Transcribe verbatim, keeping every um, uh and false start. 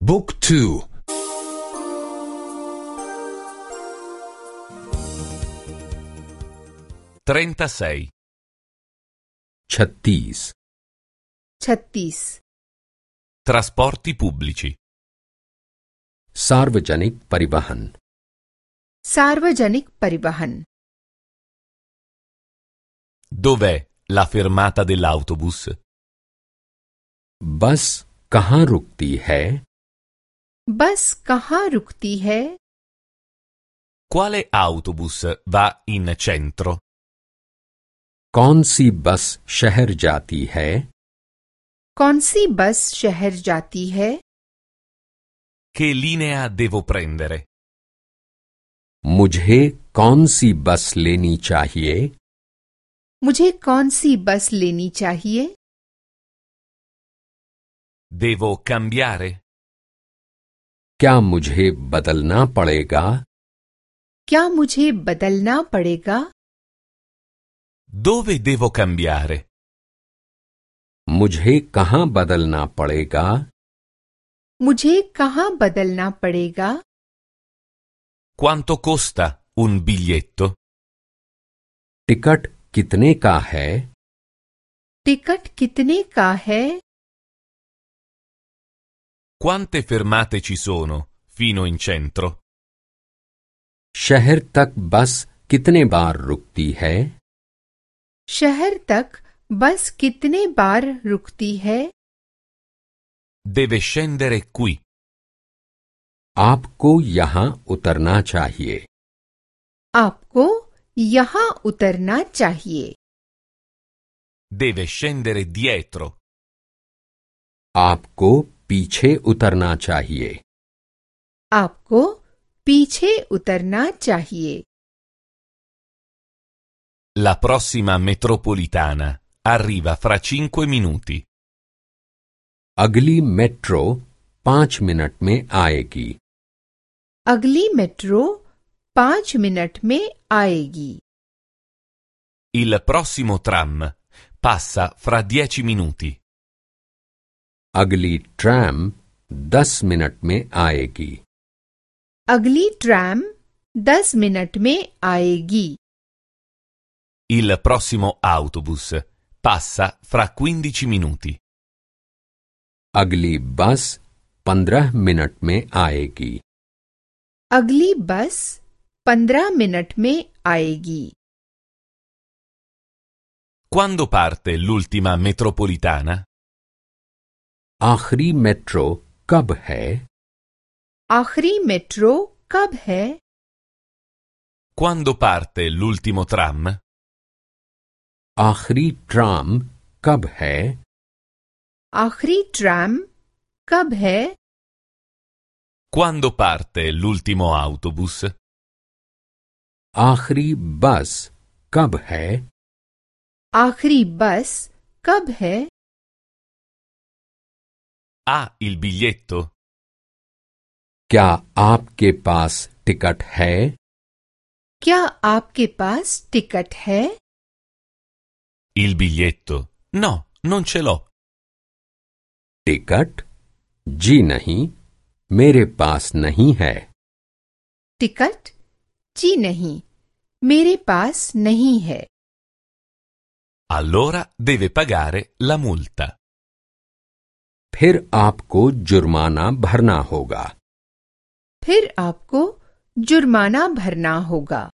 Book two trentasei छत्तीस छत्तीस Trasporti pubblici सार्वजनिक परिवहन सार्वजनिक परिवहन Dov'è la fermata dell'autobus? बस कहाँ रुकती है? बस कहाँ रुकती है? Quale autobus va in centro? कौन सी बस शहर जाती है? कौन सी बस शहर जाती है? Che linea devo prendere? मुझे कौन सी बस लेनी चाहिए? मुझे कौन सी बस लेनी चाहिए? Devo cambiare? क्या मुझे बदलना पड़ेगा? क्या मुझे बदलना पड़ेगा? Dove devo cambiare? मुझे कहाँ बदलना पड़ेगा? मुझे कहाँ बदलना पड़ेगा? Quanto costa un biglietto? Ticket कितने का है? टिकट कितने का है? Quante fermate ci sono fino in centro? शहर तक बस कितने बार रुकती है? शहर तक बस कितने बार रुकती है? Deve scendere qui. आपको यहाँ उतरना चाहिए। आपको यहाँ उतरना चाहिए। Deve scendere dietro. आपको पीछे उतरना चाहिए। आपको पीछे उतरना चाहिए। La prossima metropolitana arriva fra cinque minuti. अगली मेट्रो पाँच मिनट में आएगी। अगली मेट्रो पाँच मिनट में आएगी। Il prossimo tram passa fra dieci minuti. अगली ट्राम दस मिनट में आएगी। अगली ट्राम दस मिनट में आएगी। Il prossimo autobus passa fra quindici minuti. अगली बस पंद्रह मिनट में आएगी। अगली बस पंद्रह मिनट में आएगी। Quando parte l'ultima metropolitana? आखिरी मेट्रो कब है? आखिरी मेट्रो कब है? Quando parte l'ultimo tram? आखिरी ट्राम कब है? आखिरी ट्राम कब है? Quando parte l'ultimo autobus? आखिरी बस कब है? आखिरी बस कब है? Ha il biglietto? क्या आपके पास टिकट है? क्या आपके पास टिकट है? Il biglietto? No, non ce l'ho. Ticket? जी नहीं, मेरे पास नहीं है। टिकट? जी नहीं, मेरे पास नहीं है। Allora deve pagare la multa. फिर आपको जुर्माना भरना होगा। फिर आपको जुर्माना भरना होगा।